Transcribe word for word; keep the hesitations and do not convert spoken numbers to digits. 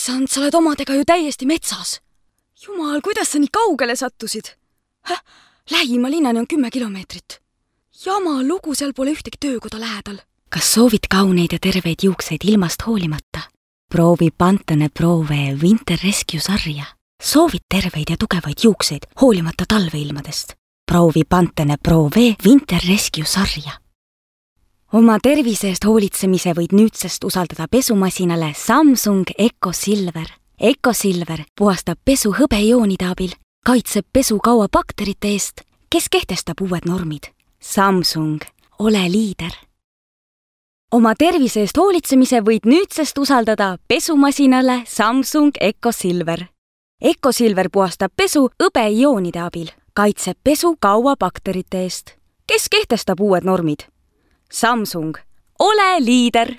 Issand, sa oled omadega ju täiesti metsas. Jumal, kuidas sa nii kaugele sattusid? Häh, lähima linnani on kümme kilomeetrit. Jama lugu, seal pole ühtegi töökoda lähedal. Kas soovid kauneid ja terveid juukseid ilmast hoolimata? Proovi Pantene Prove Winter Rescue sarja. Soovid terveid ja tugevaid juukseid hoolimata talveilmadest. Proovi Pantene Prove Winter Rescue sarja. Oma tervise eest hoolitsemise võid nüüdsest usaldada pesumasinale Samsung Eco Silver. Eco Silver puhastab pesu hõbejoonide abil, kaitseb pesu kaua bakterite eest, kes kehtestab uued normid. Samsung, ole liider. Oma tervise eest hoolitsemise võid nüüdsest usaldada pesumasinale Samsung Eco Silver. Eco Silver puhastab pesu hõbejoonide abil, kaitseb pesu kaua bakterite eest, kes kehtestab uued normid. Samsung, ole liider!